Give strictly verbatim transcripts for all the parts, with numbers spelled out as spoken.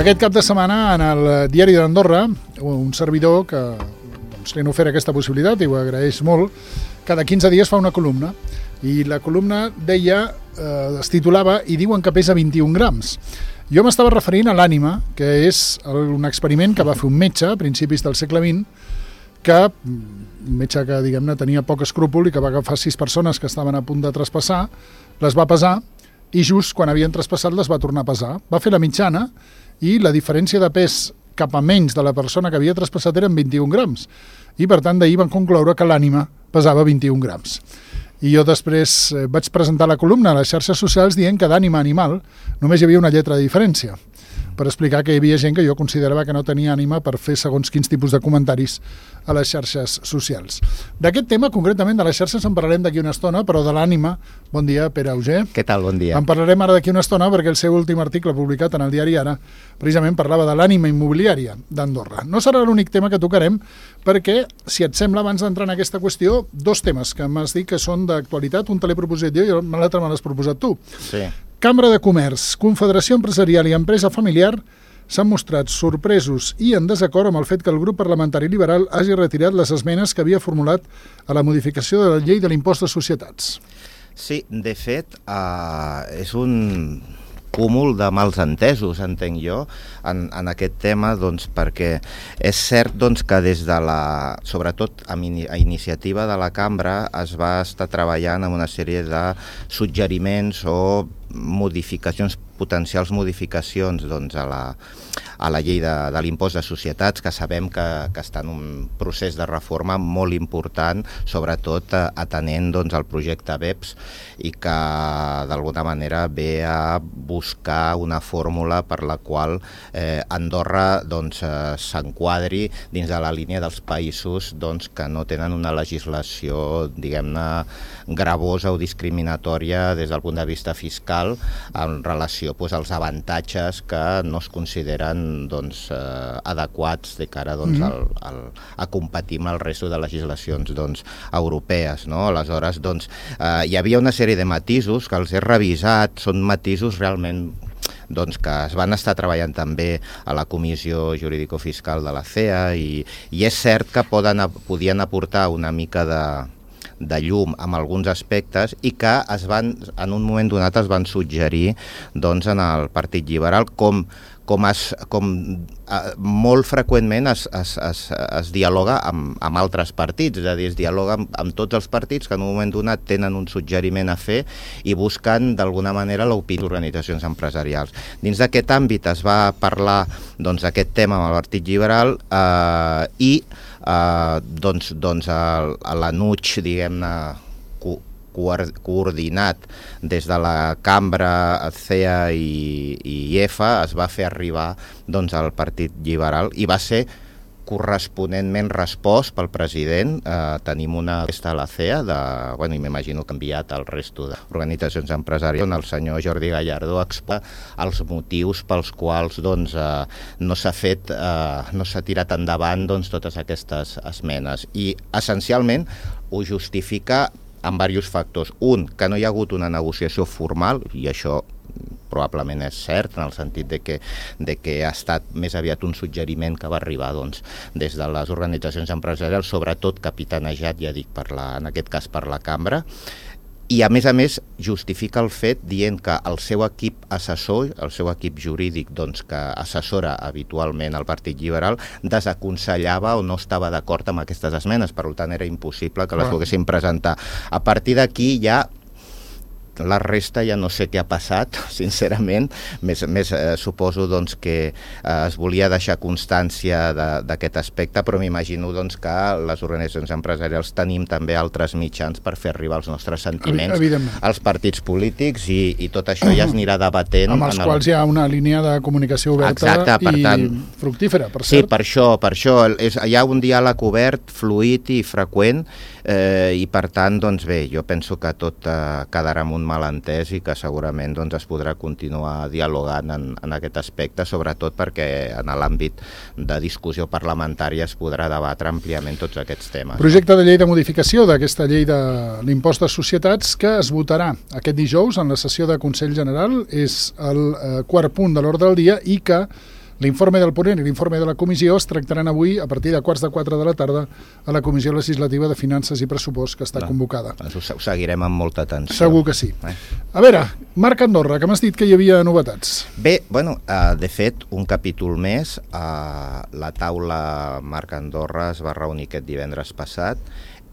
aquest cap de setmana, en el Diari d'Andorra, un servidor que doncs, li han ofert aquesta possibilitat i ho agraeix molt, cada quinze dies fa una columna. I la columna deia, eh, es titulava "I diuen que pesa vint-i-un grams". Jo m'estava referint a l'ànima, que és un experiment que va fer un metge a principis del segle vint, que un metge que, diguem-ne, tenia poc escrúpol i que va agafar sis persones que estaven a punt de traspassar, les va pesar i just quan havien traspassat les va tornar a pesar. Va fer la mitjana i la diferència de pes cap a menys de la persona que havia traspassat eren vint-i-un grams. I, per tant, d'ahir van concloure que l'ànima pesava vint-i-un grams. I jo després vaig presentar la columna a les xarxes socials dient que d'ànima animal només hi havia una lletra de diferència, per explicar que hi havia gent que jo considerava que no tenia ànima per fer segons quins tipus de comentaris a les xarxes socials. D'aquest tema, concretament de les xarxes, en parlarem d'aquí una estona, però de l'ànima, bon dia, Pere Auger. Què tal, bon dia. En parlarem ara d'aquí una estona perquè el seu últim article publicat en el diari Ara precisament parlava de l'ànima immobiliària d'Andorra. No serà l'únic tema que tocarem perquè, si et sembla, abans d'entrar en aquesta qüestió, dos temes que m'has dit que són d'actualitat, un te l'he proposat jo i l'altre me l'has proposat tu. Sí. Cambra de Comerç, Confederació Empresarial i Empresa Familiar s'han mostrat sorpresos i en desacord amb el fet que el grup parlamentari liberal hagi retirat les esmenes que havia formulat a la modificació de la llei de l'impost de societats. Sí, de fet, eh, és un cúmul de mals entesos, entenc jo, en, en aquest tema, doncs, perquè és cert doncs, que des de la, sobretot a, a iniciativa de la cambra, es va estar treballant en una sèrie de suggeriments o modificacions, potencials modificacions doncs, a, la, a la llei de, de l'impost de societats, que sabem que, que està en un procés de reforma molt important, sobretot atenent doncs, el projecte B E P S i que d'alguna manera ve a buscar una fórmula per la qual eh, Andorra doncs, eh, s'enquadri dins de la línia dels països doncs, que no tenen una legislació, diguem-ne, gravosa o discriminatòria des del punt de vista fiscal en relació doncs, als avantatges que no es consideren doncs, eh, adequats de cara doncs, al, al, a competir amb el resto de legislacions doncs, europees. No? Aleshores, doncs, eh, hi havia una sèrie de matisos que els he revisat, són matisos realment doncs, que es van estar treballant també a la Comissió Jurídico-Fiscal de la C E A i, i és cert que poden, podien aportar una mica de de llum amb alguns aspectes i que es van, en un moment donat es van suggerir doncs, en el Partit Liberal com, com, es, com eh, molt freqüentment es, es, es, es dialoga amb, amb altres partits, és a dir, es dialoga amb, amb tots els partits que en un moment donat tenen un suggeriment a fer i busquen d'alguna manera l'opinió d'organitzacions empresarials. Dins d'aquest àmbit es va parlar doncs, d'aquest tema amb el Partit Liberal eh, i Uh, doncs, doncs l'A N U G, diguem-ne, co coordinat des de la Cambra, C E A i, i I E F A, es va fer arribar doncs, al Partit Liberal i va ser corresponentment respost pel president. Eh, tenim una festa a la C E A, de, bueno, i m'imagino que ha enviat al resto d'organitzacions empresarials, on el senyor Jordi Gallardo exposa els motius pels quals doncs, eh, no s'ha fet, eh, no s'ha tirat endavant doncs, totes aquestes esmenes. I essencialment ho justifica amb diversos factors. Un, que no hi ha hagut una negociació formal, i això probablement és cert, en el sentit de que, de que ha estat més aviat un suggeriment que va arribar doncs, des de les organitzacions empresarials, sobretot capitanejat, ja dic, per la, en aquest cas per la Cambra, i a més a més justifica el fet dient que el seu equip assessor, el seu equip jurídic doncs, que assessora habitualment el Partit Liberal, desaconsellava o no estava d'acord amb aquestes esmenes, per tant era impossible que les poguessin presentar. A partir d'aquí ja la resta ja no sé què ha passat, sincerament, més, més eh, suposo doncs, que eh, es volia deixar constància d'aquest aspecte, però m'imagino doncs, que les organitzacions empresarials tenim també altres mitjans per fer arribar els nostres sentiments als partits polítics i, i tot això ja es anirà debatent. Amb els quals el... hi ha una línia de comunicació oberta. Exacte, per i tant, fructífera, per cert. Sí, per això, per això és, hi ha un diàleg obert, fluid i freqüent, eh, i per tant, doncs bé, jo penso que tot eh, quedarà amb un malentès i que segurament doncs, es podrà continuar dialogant en, en aquest aspecte, sobretot perquè en l'àmbit de discussió parlamentària es podrà debatre àmpliament tots aquests temes. Projecte de llei de modificació d'aquesta llei de l'impost de societats que es votarà aquest dijous en la sessió de Consell General, és el eh, quart punt de l'ordre del dia i que L'informe del ponent i l'informe de la comissió es tractaran avui a partir de quarts de quatre de la tarda a la Comissió Legislativa de Finances i Pressupost, que està no, convocada. Ho seguirem amb molta atenció. Segur que sí. Eh? A veure, Marc Andorra, que m'has dit que hi havia novetats. Bé, bueno, uh, de fet, un capítol més, uh, la taula Marc Andorra es va reunir aquest divendres passat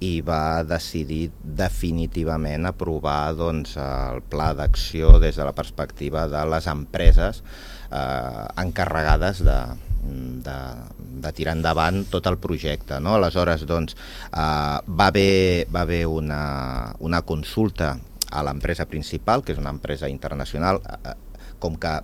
i va decidir definitivament aprovar doncs, el pla d'acció des de la perspectiva de les empreses eh, encarregades de, de, de tirar endavant tot el projecte. No? Aleshores, doncs, eh, va haver, va haver una, una consulta a l'empresa principal, que és una empresa internacional, eh, com que,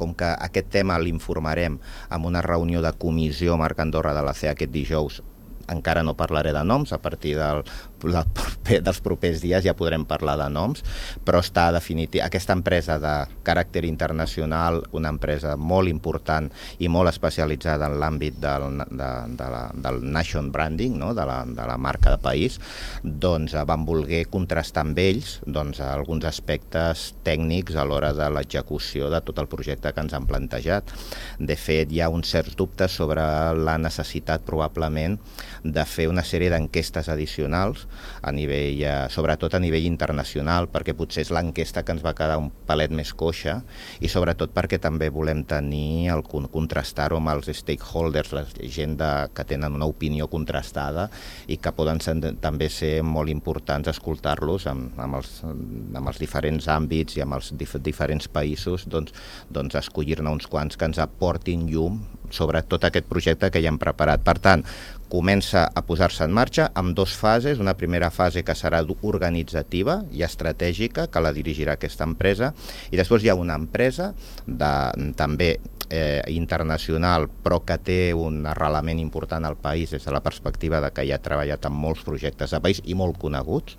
com que aquest tema l'informarem en una reunió de comissió Marc Andorra de la C E A aquest dijous, encara no parlaré de noms, a partir del, la, dels propers dies ja podrem parlar de noms, però està definitiu. Aquesta empresa de caràcter internacional, una empresa molt important i molt especialitzada en l'àmbit del, de, de la, del nation branding, no? de, la, de la marca de país, doncs van voler contrastar amb ells doncs, alguns aspectes tècnics a l'hora de l'execució de tot el projecte que ens han plantejat. De fet, hi ha uns certs dubtes sobre la necessitat probablement de fer una sèrie d'enquestes addicionals, a nivell, eh, sobretot a nivell internacional, perquè potser és l'enquesta que ens va quedar un palet més coixa, i sobretot perquè també volem tenir el contrastar-ho amb els stakeholders, la gent de, que tenen una opinió contrastada i que poden ser, també ser molt importants escoltar-los amb, amb, els, amb els diferents àmbits i amb els dif diferents països, doncs, doncs escollir-ne uns quants que ens aportin llum sobre tot aquest projecte que ja hem preparat. Per tant, comença a posar-se en marxa amb dues fases, una primera fase que serà organitzativa i estratègica, que la dirigirà aquesta empresa, i després hi ha una empresa de, també eh, internacional, però que té un arrelament important al país des de la perspectiva de que ja ha treballat en molts projectes de país i molt coneguts,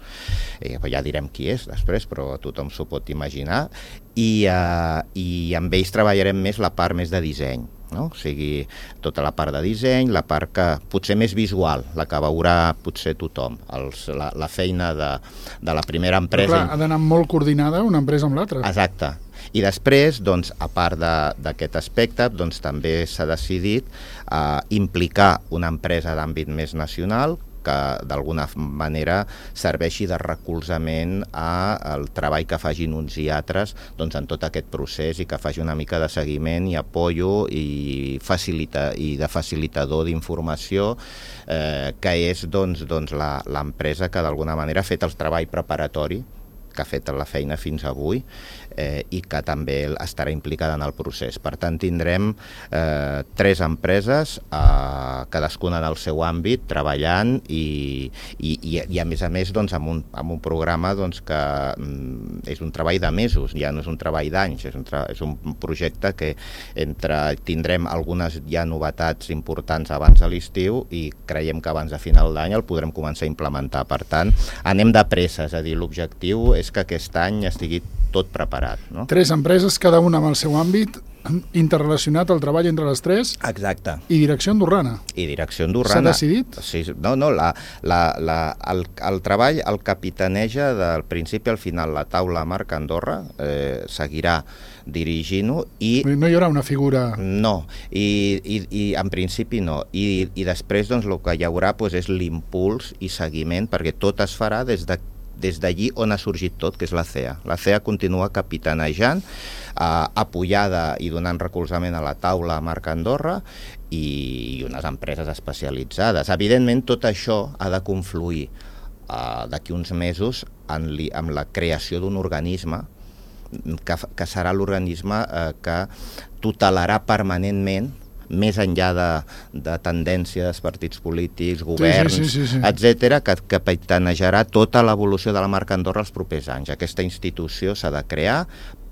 eh, ja direm qui és després, però tothom s'ho pot imaginar, i, eh, i amb ells treballarem més la part més de disseny. No? O sigui, tota la part de disseny, la part que potser més visual, la que veurà potser tothom, els, la, la feina de, de la primera empresa. Però clar, ha d'anar molt coordinada una empresa amb l'altra. Exacte. I després, doncs, a part d'aquest aspecte, doncs, també s'ha decidit eh, implicar una empresa d'àmbit més nacional que d'alguna manera serveixi de recolzament al treball que fagin uns i altres doncs, en tot aquest procés i que faci una mica de seguiment i apoyo i, facilita, i de facilitador d'informació eh, que és doncs, doncs, l'empresa que d'alguna manera ha fet el treball preparatori, que ha fet la feina fins avui eh, i que també estarà implicada en el procés. Per tant, tindrem eh, tres empreses, eh, cadascuna en el seu àmbit, treballant i, i, i, i a més a més doncs, amb, un, amb un programa doncs, que mm, és un treball de mesos, ja no és un treball d'anys, és, un és un projecte que entre tindrem algunes ja novetats importants abans de l'estiu i creiem que abans de final d'any el podrem començar a implementar. Per tant, anem de pressa, és a dir, l'objectiu és que aquest any estigui tot preparat. No? Tres empreses, cada una amb el seu àmbit, interrelacionat el treball entre les tres. Exacte. I direcció andorrana. I direcció andorrana. S'ha decidit? Sí, no, no, la, la, la, el, el treball el capitaneja del principi al final la taula Marc Andorra, eh, seguirà dirigint-ho i... No hi haurà una figura... No, i, i, i en principi no. I, i després doncs, el que hi haurà doncs, és l'impuls i seguiment, perquè tot es farà des de des d'allí on ha sorgit tot, que és la C E A. La C E A continua capitanejant, eh, apoyada i donant recolzament a la taula Marc Andorra i, i unes empreses especialitzades. Evidentment, tot això ha de confluir eh, d'aquí uns mesos en, li, en la creació d'un organisme que, que serà l'organisme eh, que tutelarà permanentment més enllà de, de tendències, partits polítics, governs, sí, sí, sí, sí. etcètera, que capitanejarà tota l'evolució de la marca Andorra els propers anys. Aquesta institució s'ha de crear,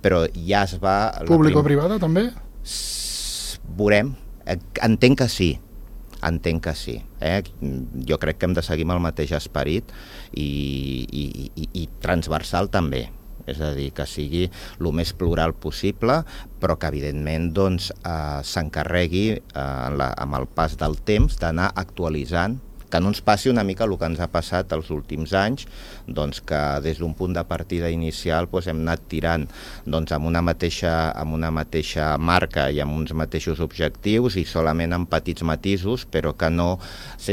però ja es va... Público-privada, també? Veurem. Entenc que sí. Entenc que sí. Eh? Jo crec que hem de seguir amb el mateix esperit i, i, i, i transversal també. És a dir, que sigui el més plural possible, però que evidentment doncs, eh, s'encarregui eh, amb el pas del temps d'anar actualitzant que no ens passi una mica el que ens ha passat els últims anys, doncs que des d'un punt de partida inicial doncs hem anat tirant doncs, amb, una mateixa, amb una mateixa marca i amb uns mateixos objectius i solament amb petits matisos, però que no,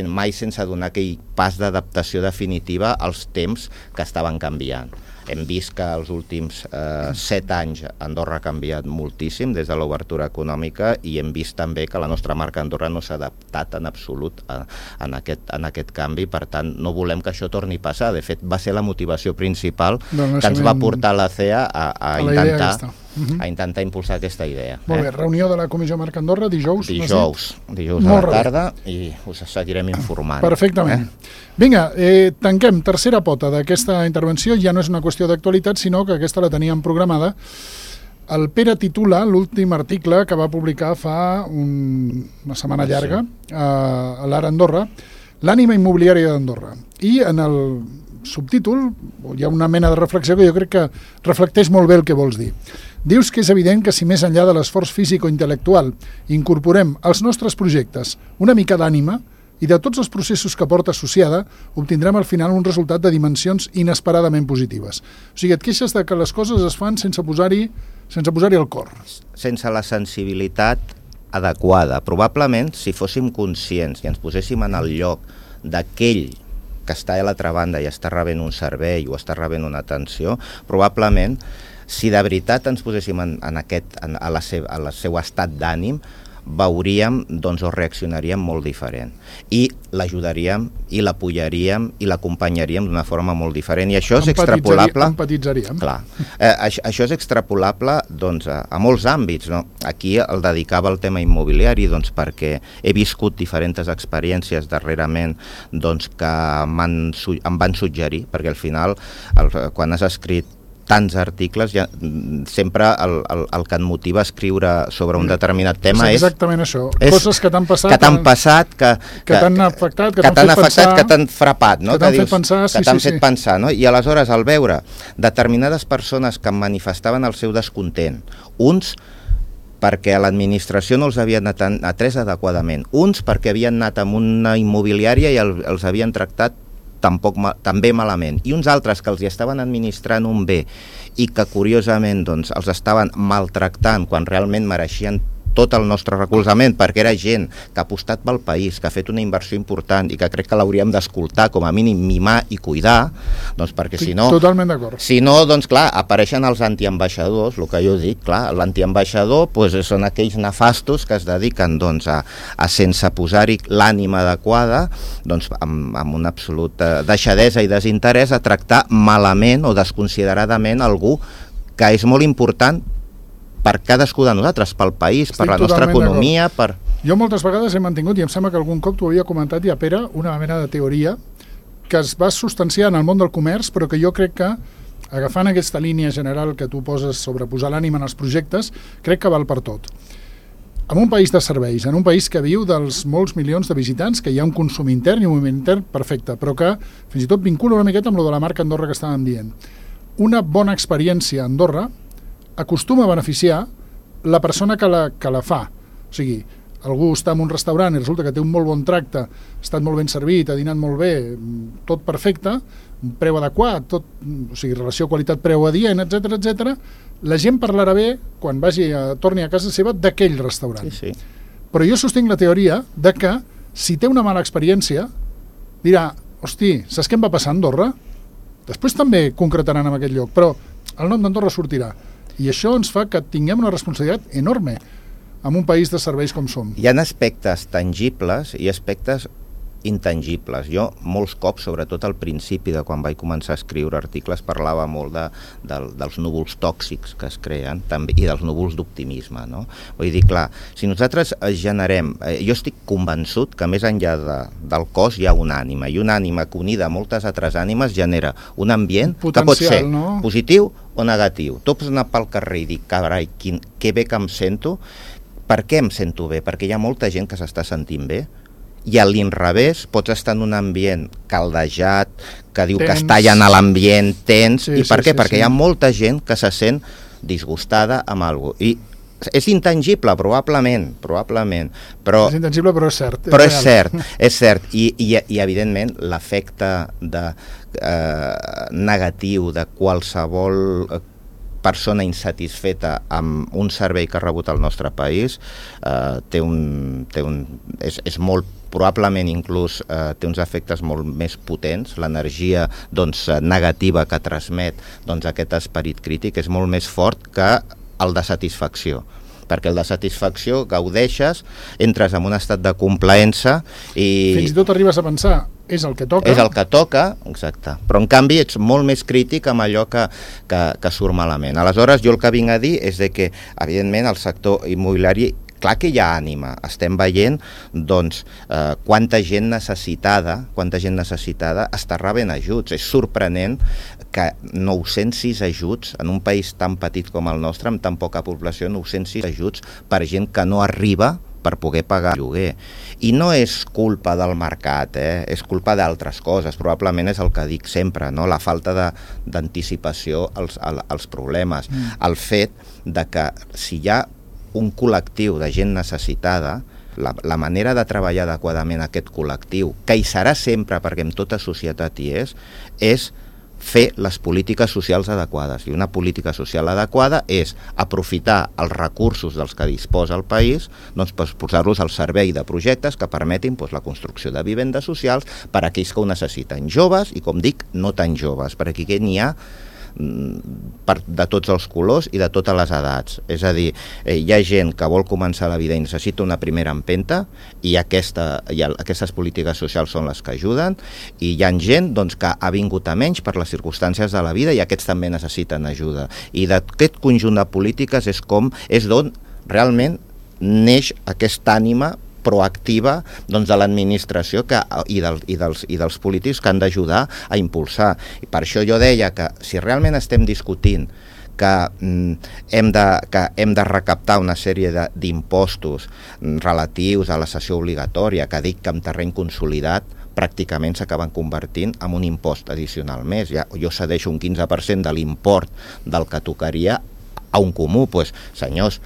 mai sense donar aquell pas d'adaptació definitiva als temps que estaven canviant. Hem vist que els últims eh, set anys Andorra ha canviat moltíssim des de l'obertura econòmica i hem vist també que la nostra marca Andorra no s'ha adaptat en absolut a, en, aquest, en aquest canvi, per tant no volem que això torni a passar. De fet va ser la motivació principal que ens va portar la C E A a, a, a intentar a intentar impulsar aquesta idea. Molt bé, eh? Reunió de la Comissió Marca Andorra dijous? Dijous, dijous a la tarda i us seguirem informant. Perfectament. Eh? Vinga, eh, tanquem tercera pota d'aquesta intervenció, ja no és una qüestió d'actualitat, sinó que aquesta la teníem programada. El Pere titula l'últim article que va publicar fa un, una setmana llarga a, a l'Ara Andorra, l'ànima immobiliària d'Andorra. I en el subtítol hi ha una mena de reflexió que jo crec que reflecteix molt bé el que vols dir. Dius que és evident que si més enllà de l'esforç físic o intel·lectual incorporem als nostres projectes una mica d'ànima i de tots els processos que porta associada, obtindrem al final un resultat de dimensions inesperadament positives. O sigui, et queixes de que les coses es fan sense posar-hi sense posar-hi el cor. Sense la sensibilitat adequada. Probablement, si fóssim conscients i ens poséssim en el lloc d'aquell que està a l'altra banda i està rebent un servei o està rebent una atenció, probablement, si de veritat ens poséssim en, en aquest, en, a, la seu, a la seu estat d'ànim, veuríem doncs, o reaccionaríem molt diferent. I l'ajudaríem, i l'apoyaríem, i l'acompanyaríem d'una forma molt diferent. I això és extrapolable... Empatitzaríem. Clar. Eh, això, això és extrapolable doncs, a, a molts àmbits. No? Aquí el dedicava al tema immobiliari doncs, perquè he viscut diferents experiències darrerament doncs, que em van suggerir, perquè al final, el, quan has escrit tants articles, ja, sempre el, el, el que et motiva a escriure sobre un determinat tema és... exactament això, és coses que t'han passat... Que t'han passat, que... Que t'han afectat, que, que t'han fet afectat, pensar... Que t'han frapat, no? Que t'han fet pensar, sí, que t'han sí, fet sí. pensar, no? I aleshores, al veure determinades persones que manifestaven el seu descontent, uns perquè l'administració no els havia atès adequadament, uns perquè havien anat amb una immobiliària i el, els havien tractat tampoc també malament, i uns altres que els hi estaven administrant un bé i que curiosament doncs, els estaven maltractant quan realment mereixien tot el nostre recolzament, perquè era gent que ha apostat pel país, que ha fet una inversió important i que crec que l'hauríem d'escoltar, com a mínim mimar i cuidar, doncs perquè si no... Totalment d'acord. Si no, doncs clar, apareixen els antiambaixadors, el que jo dic, clar, l'antiambaixador doncs, són aquells nefastos que es dediquen doncs, a, a sense posar-hi l'ànima adequada, doncs amb, amb una absoluta deixadesa i desinterès a tractar malament o desconsideradament algú que és molt important per cadascú de nosaltres, pel país, Estic per la nostra economia, per... Jo moltes vegades he mantingut, i em sembla que algun cop t'ho havia comentat ja, Pere, una mena de teoria que es va substanciar en el món del comerç, però que jo crec que, agafant aquesta línia general que tu poses sobre posar l'ànima en els projectes, crec que val per tot. En un país de serveis, en un país que viu dels molts milions de visitants, que hi ha un consum intern i un moviment intern perfecte, però que fins i tot vincula una miqueta amb lo de la marca Andorra que estàvem dient. Una bona experiència a Andorra acostuma a beneficiar la persona que la, que la fa. O sigui, algú està en un restaurant i resulta que té un molt bon tracte, ha estat molt ben servit, ha dinat molt bé, tot perfecte, un preu adequat, tot, o sigui, relació qualitat-preu adient, etcètera, etcètera. La gent parlarà bé quan vagi a, torni a casa seva d'aquell restaurant. Sí, sí. Però jo sostinc la teoria de que si té una mala experiència, dirà, hosti, saps què em va passar a Andorra? Després també concretaran en aquest lloc, però el nom d'Andorra sortirà. I això ens fa que tinguem una responsabilitat enorme en un país de serveis com som. Hi ha aspectes tangibles i aspectes intangibles. Jo, molts cops, sobretot al principi de quan vaig començar a escriure articles, parlava molt de, de, dels núvols tòxics que es creen també, i dels núvols d'optimisme. No? Vull dir, clar, si nosaltres generem... Eh, jo estic convençut que més enllà de, del cos hi ha una ànima, i una ànima que unida a moltes altres ànimes genera un ambient potencial, que pot ser no? positiu o negatiu. Tu pots anar pel carrer i dir, carai, quin, que bé que em sento. Per què em sento bé? Perquè hi ha molta gent que s'està sentint bé, i a l'inrevés pots estar en un ambient caldejat, que diu tens. Que està allà en l'ambient tens, sí, i per sí, què? Sí, perquè sí. Hi ha molta gent que se sent disgustada amb alguna cosa. I és intangible, probablement, probablement, però... És intangible, però és cert. Però és, és cert, és cert, i, i, i evidentment l'efecte de, eh, negatiu de qualsevol persona insatisfeta amb un servei que ha rebut al nostre país eh, té un, té un, és, és molt, probablement inclús eh, té uns efectes molt més potents. L'energia doncs, negativa que transmet doncs, aquest esperit crític és molt més fort que el de satisfacció, perquè el de satisfacció gaudeixes, entres en un estat de complaença i... Fins i tot arribes a pensar, és el que toca. És el que toca, exacte. Però en canvi ets molt més crític amb allò que, que, que surt malament. Aleshores, jo el que vinc a dir és de que, evidentment, el sector immobiliari, clar que hi ha ànima. Estem veient, doncs, eh, quanta gent necessitada, quanta gent necessitada està rebent ajuts. És sorprenent que nou-cents sis ajuts, en un país tan petit com el nostre, amb tan poca població, nou-cents sis ajuts per gent que no arriba per poder pagar el lloguer. I no és culpa del mercat, eh? És culpa d'altres coses, probablement és el que dic sempre, no? La falta d'anticipació als, als problemes, mm. el fet de que si hi ha un col·lectiu de gent necessitada, la, la manera de treballar adequadament aquest col·lectiu, que hi serà sempre perquè en tota societat hi és, és fer les polítiques socials adequades. I una política social adequada és aprofitar els recursos dels que disposa el país doncs, per posar-los al servei de projectes que permetin doncs, la construcció de vivendes socials per a aquells que ho necessiten, joves i, com dic, no tan joves, per aquí que n'hi ha per, de tots els colors i de totes les edats. És a dir, eh, hi ha gent que vol començar la vida i necessita una primera empenta i, aquesta, i el, aquestes polítiques socials són les que ajuden, i hi ha gent doncs, que ha vingut a menys per les circumstàncies de la vida i aquests també necessiten ajuda. I d'aquest conjunt de polítiques és com és d'on realment neix aquesta ànima proactiva doncs, de l'administració i, del, i, dels, i dels polítics que han d'ajudar a impulsar. I per això jo deia que si realment estem discutint que, mm, hem, de, que hem de recaptar una sèrie d'impostos relatius a la cessió obligatòria, que dic que en terreny consolidat pràcticament s'acaben convertint en un impost addicional més. Ja, jo cedeixo un quinze per cent de l'import del que tocaria a un comú. Pues, senyors,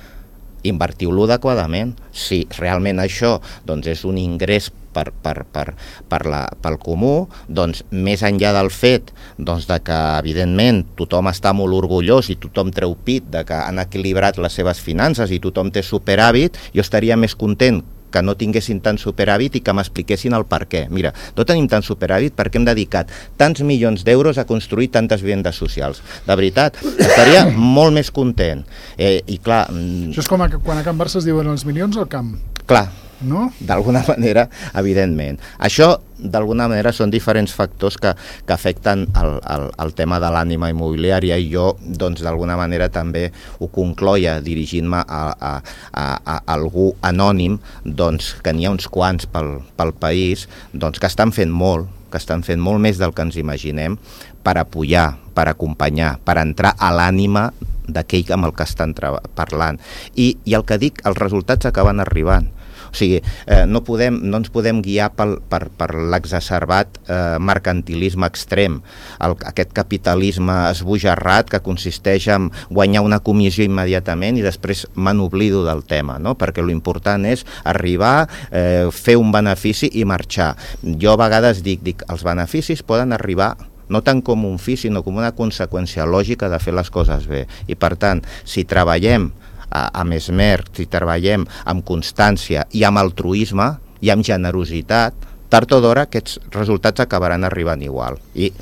invertiu-lo adequadament. Si realment això doncs, és un ingrés per, per, per, per la, pel comú, doncs més enllà del fet doncs, de que evidentment tothom està molt orgullós i tothom treu pit de que han equilibrat les seves finances i tothom té superàvit, jo estaria més content que no tinguessin tant superàvit i que m'expliquessin el per què. Mira, no tenim tant superàvit perquè hem dedicat tants milions d'euros a construir tantes vivendes socials. De veritat, estaria molt més content. Eh, i clar... Això és com a, quan a Can Barça es diuen els milions al camp. Clar, no? D'alguna manera, evidentment. Això, d'alguna manera, són diferents factors que, que afecten el, el, el tema de l'ànima immobiliària i jo, doncs, d'alguna manera també ho concloia dirigint-me a, a, a, a algú anònim, doncs, que n'hi ha uns quants pel, pel país, doncs, que estan fent molt, que estan fent molt més del que ens imaginem per apoyar, per acompanyar, per entrar a l'ànima d'aquell amb el que estan parlant. I, i el que dic, els resultats acaben arribant. O sigui, eh, no, podem, no ens podem guiar pel, per, per l'exacerbat eh, mercantilisme extrem, el, aquest capitalisme esbojarrat que consisteix en guanyar una comissió immediatament i després me n'oblido del tema, no? Perquè l'important és arribar, eh, fer un benefici i marxar. Jo a vegades dic, dic, els beneficis poden arribar no tant com un fi, sinó com una conseqüència lògica de fer les coses bé. I per tant, si treballem amb esmer, si treballem amb constància i amb altruisme i amb generositat, tard o d'hora aquests resultats acabaran arribant igual. I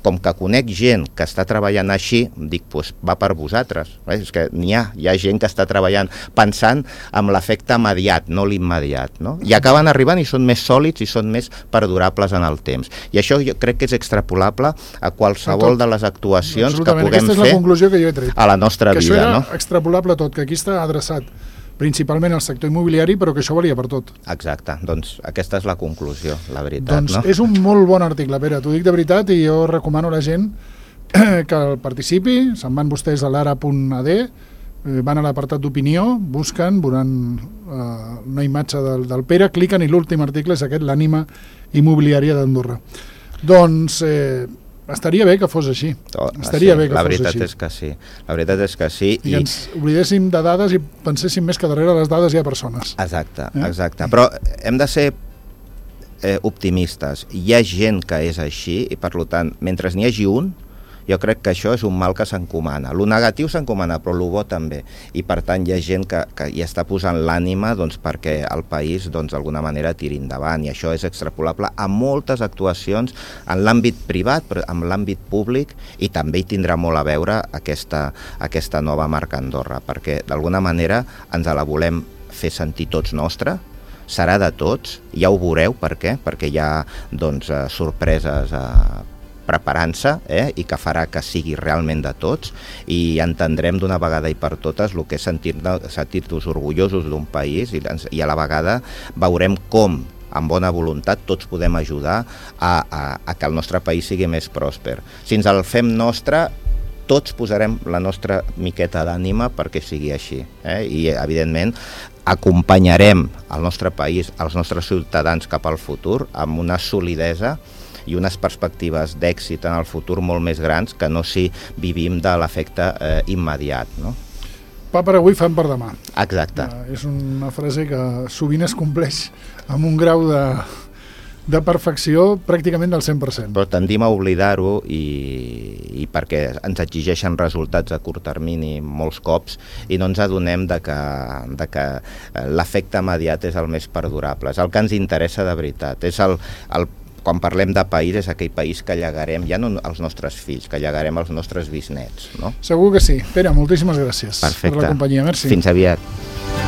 com que conec gent que està treballant així, dic, doncs va per vosaltres. Eh? És que n'hi ha, hi ha gent que està treballant pensant en l'efecte immediat, no l'immediat, no? I acaben arribant i són més sòlids i són més perdurables en el temps. I això jo crec que és extrapolable a qualsevol de les actuacions que puguem fer la conclusió que jo he tret. A la nostra que vida. Això era no? extrapolable tot, que aquí està adreçat principalment al sector immobiliari, però que això valia per tot. Exacte, doncs aquesta és la conclusió, la veritat. Doncs no? És un molt bon article, Pere, t'ho dic de veritat, i jo recomano a la gent que el participi. Se'n van vostès a l'ara punt a de, van a l'apartat d'opinió, busquen, veuran uh, una imatge del, del Pere, cliquen i l'últim article és aquest, l'ànima immobiliària d'Andorra. Doncs eh, estaria bé que fos així. Oh, estaria sí, bé que la fos veritat així. és que sí. La veritat és que sí. I, I ens oblidéssim de dades i penséssim més que darrere les dades hi ha persones. Exacte, eh? exacte. Però hem de ser eh, optimistes. Hi ha gent que és així i, per tant, mentre n'hi hagi un, jo crec que això és un mal que s'encomana. Lo negatiu s'encomana, però lo bo també. I, per tant, hi ha gent que, que hi està posant l'ànima doncs, perquè el país doncs, d'alguna manera tiri endavant. I això és extrapolable a moltes actuacions en l'àmbit privat, però en l'àmbit públic, i també hi tindrà molt a veure aquesta, aquesta nova marca Andorra, perquè d'alguna manera ens la volem fer sentir tots nostra, serà de tots, ja ho veureu per què, perquè hi ha doncs, sorpreses eh, preparant-se eh, i que farà que sigui realment de tots i entendrem d'una vegada i per totes el que és sentir-nos sentir-nos orgullosos d'un país i, i a la vegada veurem com amb bona voluntat tots podem ajudar a, a, a que el nostre país sigui més pròsper. Si ens el fem nostre, tots posarem la nostra miqueta d'ànima perquè sigui així. Eh? I, evidentment, acompanyarem el nostre país, els nostres ciutadans cap al futur amb una solidesa i unes perspectives d'èxit en el futur molt més grans que no si vivim de l'efecte eh, immediat. No? Pa per avui, fam per demà. Exacte. Uh, és una frase que sovint es compleix amb un grau de, de perfecció pràcticament del cent per cent. Però tendim a oblidar-ho i, i perquè ens exigeixen resultats a curt termini molts cops i no ens adonem de que, de que l'efecte immediat és el més perdurable, és el que ens interessa de veritat, és el, el quan parlem de país, és aquell país que llegarem, ja no als nostres fills, que llegarem als nostres bisnets. No? Segur que sí. Pere, moltíssimes gràcies Perfecte. per la companyia. Merci. Fins aviat.